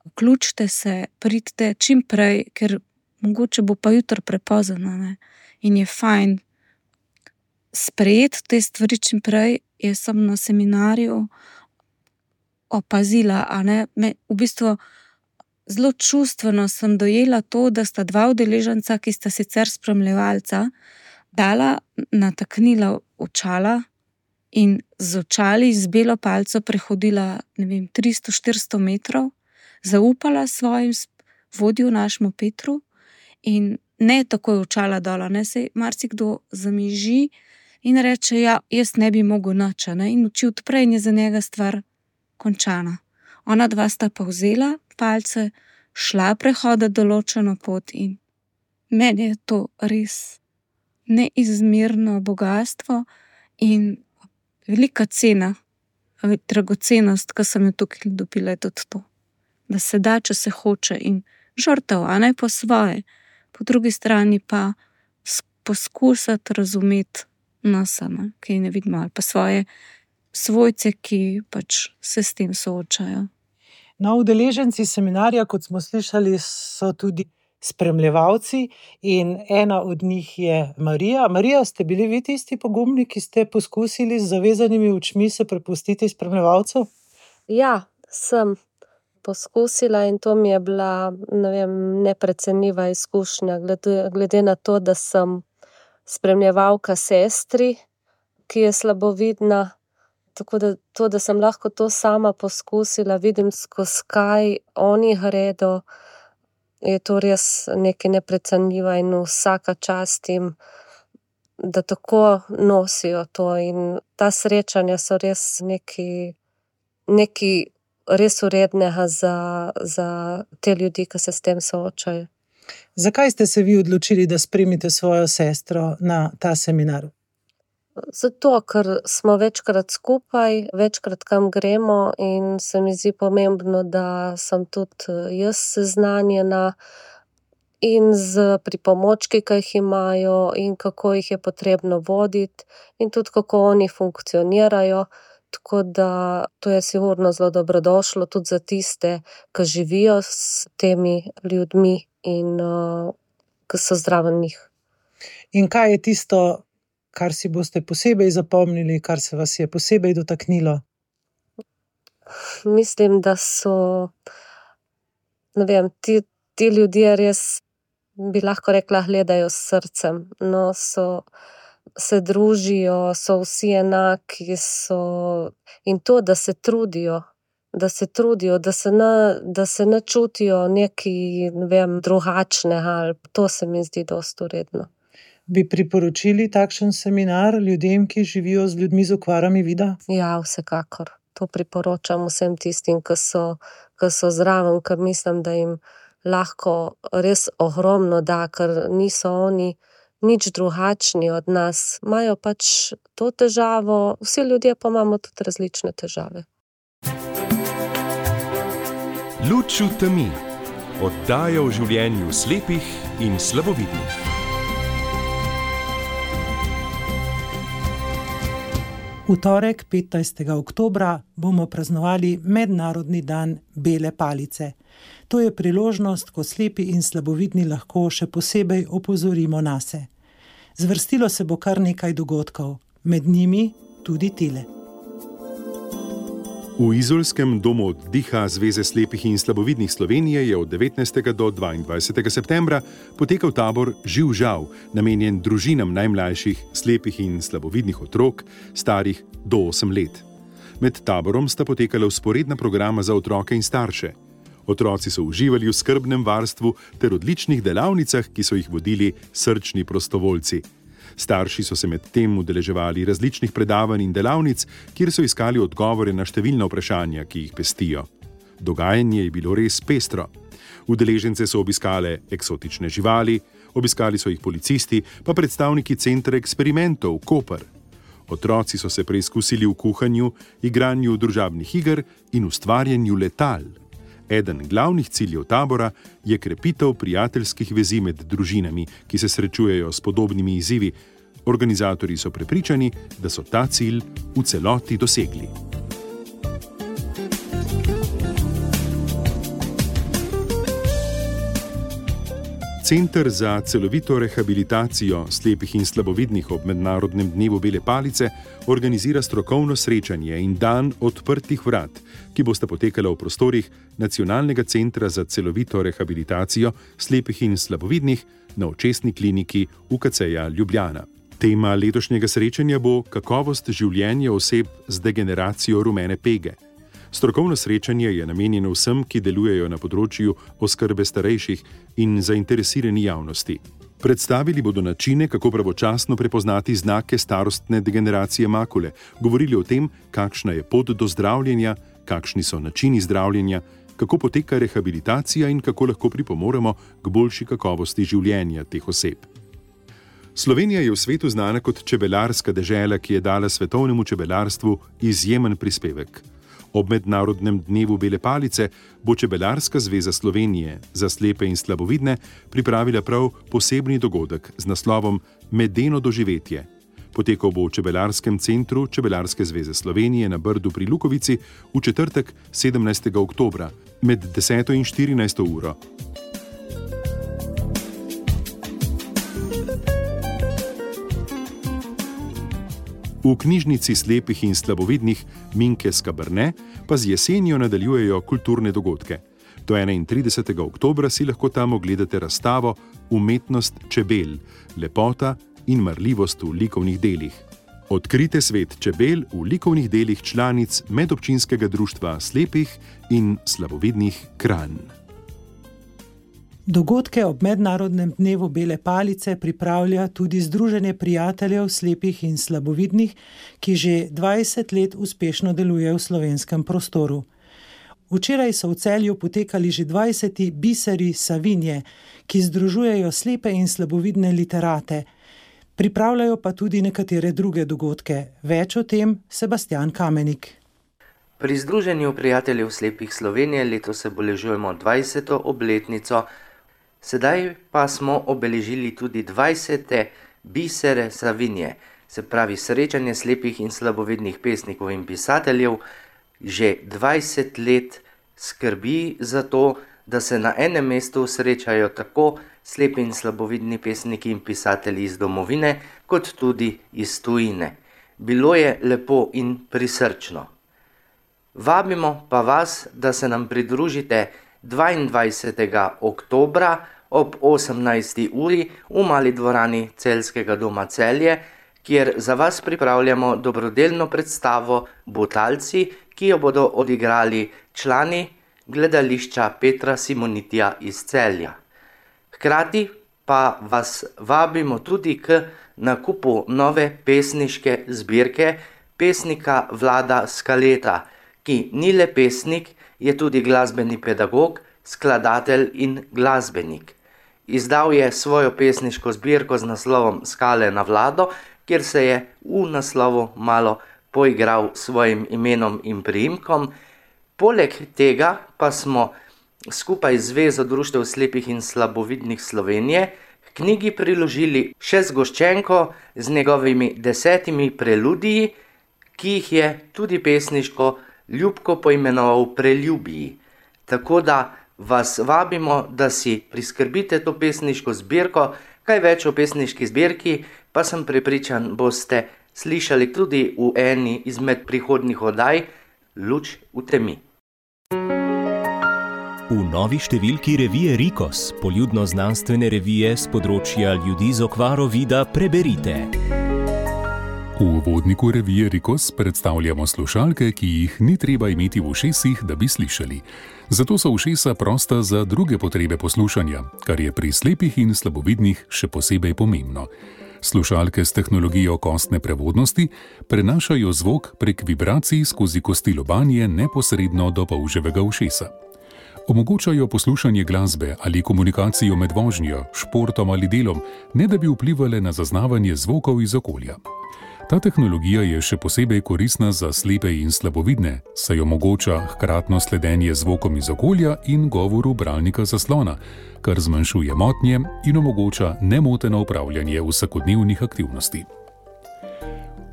vključite se, pridite čim prej, ker mogoče bo pa jutri prepozno, ne. In je fajn sprejeti te stvari čim prej. Jaz sem na seminarju opazila, v bistvu zelo čustveno sem dojela to, da sta dva udeleženca, ki sta sicer spremljevalca, dala nataknila očala in z očali z belo palico prehodila, 300-400 metrov, zaupala svojim vodju, našemu Petru, in ne takoj očala dola, ne, saj marsikdo zamiži in reče, ja, jaz ne bi mogel nič, ne, in oči odpre in je za njega stvar končana. Ona dva sta pa vzela palce, šla prehoditi določeno pot in meni je to res neizmerno bogastvo in velika cena, dragocenost, ki sem jo tukaj dobila, je tudi to, da se da, če se hoče, in žrtev, po svoje, po drugi strani pa poskusiti razumeti nas, ki ne vidimo, ali pa svoje svojce, ki pač se s tem soočajo. No, udeleženci seminarja, kot smo slišali, so tudi spremljevalci in ena od njih je Marija. Marija, ste bili vi tisti pogumni, ki ste poskusili z zavezanimi očmi se prepustiti spremljevalcu? Ja, sem poskusila in to mi je bila, neprecenljiva izkušnja, glede na to, da sem spremljevalka sestri, ki je slabovidna. Tako da to, da sem lahko to sama poskusila, vidim, skozi kaj oni gredo, je to res nekaj neprecenljiva in vsaka čast jim, da tako nosijo to. In ta srečanja so res nekaj res vrednega za te ljudi, ki se s tem soočajo. Zakaj ste se vi odločili, da spremite svojo sestro na ta seminar? Zato, ker smo večkrat skupaj, večkrat kam gremo in se mi zdi pomembno, da sem tudi jaz seznanjena in z pripomočki, ki jih imajo in kako jih je potrebno voditi in tudi kako oni funkcionirajo. Tako da to je sigurno zelo dobrodošlo tudi za tiste, ki živijo s temi ljudmi in ki so zraven njih. In kaj je tisto, kar si boste posebej zapomnili, kar se vas je posebej dotaknilo? Mislim, da so, ti ljudje res, bi lahko rekla, gledajo s srcem. No, se družijo, so vsi enaki, in to, da se trudijo, da se ne čutijo nekaj, drugačnega, to se mi zdi dosti vredno. Bi priporočili takšen seminar ljudem, ki živijo z ljudmi z okvarami vida? Ja, vsekakor. To priporočam vsem tistim, ki so zraven, ker mislim, da jim lahko res ogromno da, ker niso oni nič drugačni od nas. Imajo pač to težavo, vsi ljudje pa imamo tudi različne težave. Luč v temi. Oddaja o življenju slepih in slabovidnih. V torek, 15. oktobra, bomo praznovali Mednarodni dan bele palice. To je priložnost, ko slepi in slabovidni lahko še posebej opozorimo nase. Zvrstilo se bo kar nekaj dogodkov, med njimi tudi tile. V izolskem domu oddiha Zveze slepih in slabovidnih Slovenije je od 19. do 22. septembra potekal tabor Živ žal, namenjen družinam najmlajših slepih in slabovidnih otrok, starih do 8 let. Med taborom sta potekala vzporedna programa za otroke in starše. Otroci so uživali v skrbnem varstvu ter odličnih delavnicah, ki so jih vodili srčni prostovoljci. Starši so se med tem udeleževali različnih predavanj in delavnic, kjer so iskali odgovore na številna vprašanja, ki jih pestijo. Dogajanje je bilo res pestro. Udeležence so obiskale eksotične živali, obiskali so jih policisti, pa predstavniki Centra eksperimentov Koper. Otroci so se preizkusili v kuhanju, igranju družabnih iger in ustvarjanju letal. Eden glavnih ciljev tabora je krepitev prijateljskih vezi med družinami, ki se srečujejo s podobnimi izzivi. Organizatorji so prepričani, da so ta cilj v celoti dosegli. Center za celovito rehabilitacijo slepih in slabovidnih ob Mednarodnem dnevu bele palice organizira strokovno srečanje in dan odprtih vrat, ki bosta potekala v prostorih Nacionalnega centra za celovito rehabilitacijo slepih in slabovidnih na Očesni kliniki UKC-ja Ljubljana. Tema letošnjega srečanja bo kakovost življenja oseb z degeneracijo rumene pege. Strokovno srečanje je namenjeno vsem, ki delujejo na področju oskrbe starejših in zainteresirani javnosti. Predstavili bodo načine, kako pravočasno prepoznati znake starostne degeneracije makule, govorili o tem, kakšna je pot do zdravljenja, kakšni so načini zdravljenja, kako poteka rehabilitacija in kako lahko pripomoremo k boljši kakovosti življenja teh oseb. Slovenija je v svetu znana kot čebelarska dežela, ki je dala svetovnemu čebelarstvu izjemen prispevek. Ob Mednarodnem dnevu bele palice bo Čebelarska zveza Slovenije za slepe in slabovidne pripravila prav posebni dogodek z naslovom Medeno doživetje. Potekal bo v Čebelarskem centru Čebelarske zveze Slovenije na Brdu pri Lukovici v četrtek 17. oktobra med 10. in 14. uro. V knjižnici slepih in slabovidnih Minke Skabrne pa z jesenjo nadaljujejo kulturne dogodke. Do 31. oktobra si lahko tam ogledate razstavo Umetnost čebel, lepota in marljivost v likovnih delih. Odkrite svet čebel v likovnih delih članic Medobčinskega društva slepih in slabovidnih Kranj. Dogodke ob Mednarodnem dnevu bele palice pripravlja tudi Združenje prijateljev slepih in slabovidnih, ki že 20 let uspešno deluje v slovenskem prostoru. Včeraj so v Celju potekali že 20. biseri Savinje, ki združujejo slepe in slabovidne literate. Pripravljajo pa tudi nekatere druge dogodke. Več o tem Sebastian Kamenik. Pri Združenju prijateljev slepih Slovenije letos obeležujemo 20. obletnico. Sedaj pa smo obeležili tudi 20. bisere Savinje, se pravi srečanje slepih in slabovidnih pesnikov in pisateljev. Že 20 let skrbi za to, da se na enem mestu srečajo tako slepi in slabovidni pesniki in pisatelji iz domovine, kot tudi iz tujine. Bilo je lepo in prisrčno. Vabimo pa vas, da se nam pridružite 22. oktobra ob 18. uri v mali dvorani Celjskega doma Celje, kjer za vas pripravljamo dobrodelno predstavo Butalci, ki jo bodo odigrali člani gledališča Petra Simonitija iz Celja. Hkrati pa vas vabimo tudi k nakupu nove pesniške zbirke pesnika Vlada Skaleta, ki ni le pesnik, je tudi glasbeni pedagog, skladatelj in glasbenik. Izdal je svojo pesniško zbirko z naslovom Skale na Vlado, kjer se je v naslovu malo poigral s svojim imenom in priimkom. Poleg tega pa smo skupaj z Zvezo društev slepih in slabovidnih Slovenije k knjigi priložili še zgoščenko z njegovimi 10 preludiji, ki jih je tudi pesniško Ljubko poimenoval Preljubiji. Tako da vas vabimo, da si priskrbite to pesniško zbirko. Kaj več o pesniški zbirki pa sem prepričan, boste slišali tudi v eni izmed prihodnjih oddaj Luč v temi. V novi številki revije Rikos, poljudno-znanstvene revije s področja ljudi z okvaro vida, preberite. V uvodniku revije Rikos predstavljamo slušalke, ki jih ni treba imeti v ušesih, da bi slišali. Zato so ušesa prosta za druge potrebe poslušanja, kar je pri slepih in slabovidnih še posebej pomembno. Slušalke s tehnologijo kostne prevodnosti prenašajo zvok prek vibracij skozi kosti lobanje neposredno do polževega ušesa. Omogočajo poslušanje glasbe ali komunikacijo med vožnjo, športom ali delom, ne da bi vplivale na zaznavanje zvokov iz okolja. Ta tehnologija je še posebej koristna za slepe in slabovidne, saj omogoča hkratno sledenje zvokom iz okolja in govoru bralnika zaslona, kar zmanjšuje motnje in omogoča nemoteno upravljanje vsakodnevnih aktivnosti.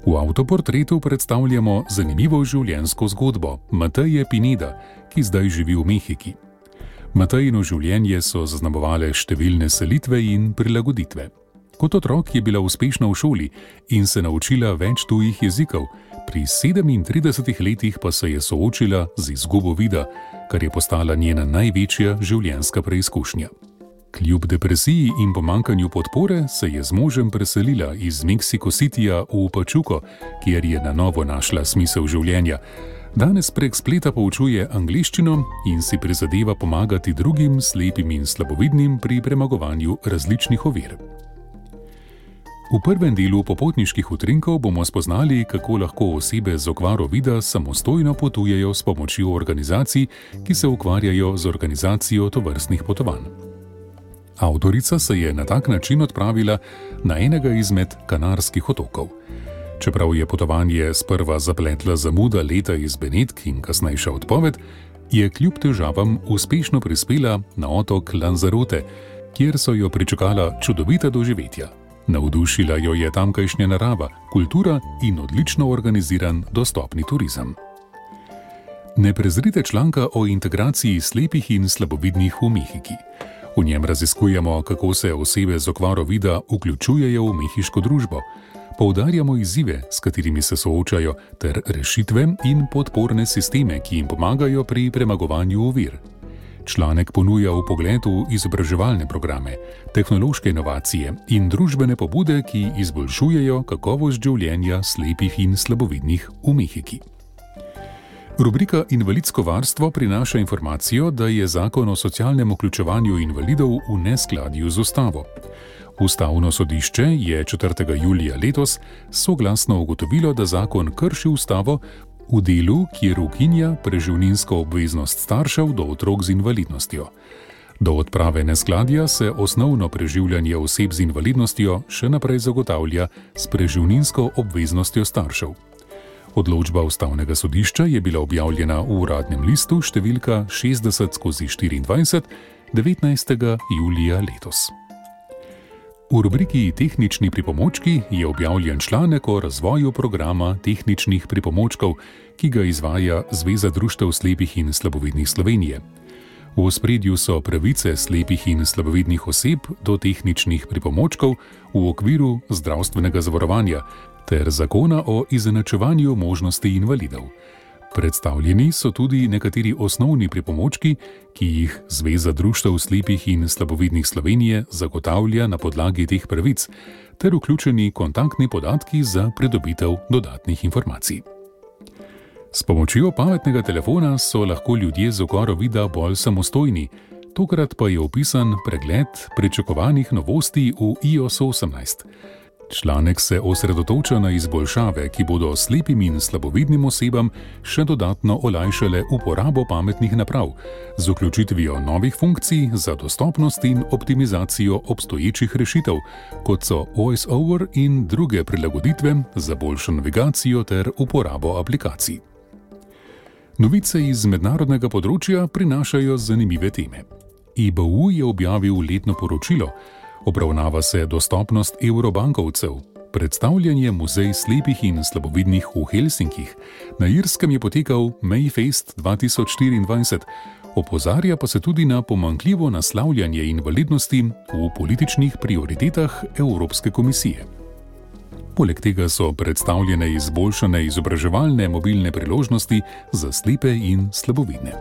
V avtoportretu predstavljamo zanimivo življenjsko zgodbo Mateje Pineda, ki zdaj živi v Mehiki. Matejino življenje so zaznamovale številne selitve in prilagoditve. Kot otrok je bila uspešna v šoli in se naučila več tujih jezikov, pri 37 letih pa se je soočila z izgubo vida, kar je postala njena največja življenjska preizkušnja. Kljub depresiji in pomanjkanju podpore se je z možem preselila iz Mexico Cityja v Pachuco, kjer je na novo našla smisel življenja. Danes prek spleta poučuje angleščino in si prizadeva pomagati drugim slepim in slabovidnim pri premagovanju različnih ovir. V prvem delu popotniških utrinkov bomo spoznali, kako lahko osebe z okvaro vida samostojno potujejo s pomočjo organizacij, ki se ukvarjajo z organizacijo tovrstnih potovanj. Avtorica se je na tak način odpravila na enega izmed Kanarskih otokov. Čeprav je potovanje sprva zapletla zamuda leta iz Benetk in kasnejša odpoved, je kljub težavam uspešno prispela na otok Lanzarote, kjer so jo pričakala čudovita doživetja. Navdušila jo je tamkajšnja narava, kultura in odlično organiziran dostopni turizem. Ne prezrite članka o integraciji slepih in slabovidnih v Mehiki. V njem raziskujemo, kako se osebe z okvaro vida vključujejo v mehiško družbo. Poudarjamo izzive, s katerimi se soočajo, ter rešitve in podporne sisteme, ki jim pomagajo pri premagovanju ovir. Članek ponuja vpogled v izobraževalne programe, tehnološke inovacije in družbene pobude, ki izboljšujejo kakovost življenja slepih in slabovidnih v Mehiki. Rubrika Invalidsko varstvo prinaša informacijo, da je zakon o socialnem vključevanju invalidov v neskladju z ustavo. Ustavno sodišče je 4. julija letos soglasno ugotovilo, da zakon krši ustavo v delu, kjer ukinja preživninsko obveznost staršev do otrok z invalidnostjo. Do odprave neskladja se osnovno preživljanje oseb z invalidnostjo še naprej zagotavlja s preživninsko obveznostjo staršev. Odločba Ustavnega sodišča je bila objavljena v Uradnem listu številka 60/24 19. julija letos. V rubriki Tehnični pripomočki je objavljen članek o razvoju programa tehničnih pripomočkov, ki ga izvaja Zveza društev slepih in slabovidnih Slovenije. V ospredju so pravice slepih in slabovidnih oseb do tehničnih pripomočkov v okviru zdravstvenega zavarovanja ter zakona o izenačevanju možnosti invalidov. Predstavljeni so tudi nekateri osnovni pripomočki, ki jih Zveza društev slepih in slabovidnih Slovenije zagotavlja na podlagi teh pravic, ter vključeni kontaktni podatki za pridobitev dodatnih informacij. S pomočjo pametnega telefona so lahko ljudje z okvaro vida bolj samostojni, tokrat pa je opisan pregled pričakovanih novosti v iOS 18. Članek se osredotoča na izboljšave, ki bodo slepim in slabovidnim osebam še dodatno olajšale uporabo pametnih naprav, z vključitvijo novih funkcij za dostopnost in optimizacijo obstoječih rešitev, kot so VoiceOver in druge prilagoditve za boljšo navigacijo ter uporabo aplikacij. Novice iz mednarodnega področja prinašajo zanimive teme. EBU je objavil letno poročilo, obravnava se dostopnost evrobankovcev, predstavljen je muzej slepih in slabovidnih v Helsinkih, na Irskem je potekal Mayfest 2024, opozarja pa se tudi na pomanjkljivo naslavljanje invalidnosti v političnih prioritetah Evropske komisije. Poleg tega so predstavljene izboljšane izobraževalne mobilne priložnosti za slepe in slabovidne.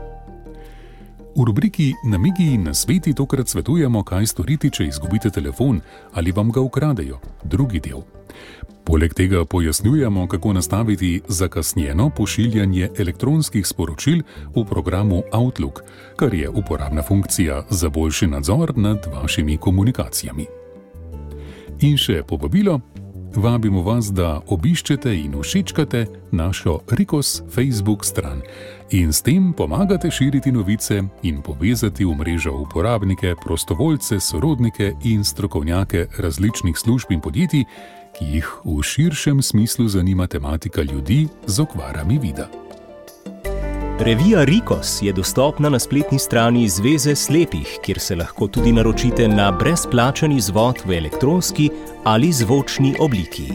V rubriki Namigi in nasveti tokrat svetujemo, kaj storiti, če izgubite telefon ali vam ga ukradejo, drugi del. Poleg tega pojasnjujemo, kako nastaviti zakasnjeno pošiljanje elektronskih sporočil v programu Outlook, kar je uporabna funkcija za boljši nadzor nad vašimi komunikacijami. In še povabilo, vabimo vas, da obiščete in všečkate našo Rikos Facebook stran in s tem pomagate širiti novice in povezati v mrežo uporabnike, prostovoljce, sorodnike in strokovnjake različnih služb in podjetij, ki jih v širšem smislu zanima tematika ljudi z okvarami vida. Revija Rikos je dostopna na spletni strani Zveze slepih, kjer se lahko tudi naročite na brezplačen izvod v elektronski ali zvočni obliki.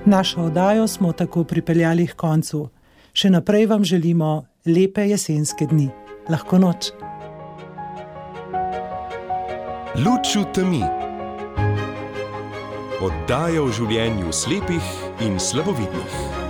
Našo oddajo smo tako pripeljali k koncu. Še naprej vam želimo lepe jesenske dni. Lahko noč. Luč v temi. Oddaja o življenju slepih in slabovidnih.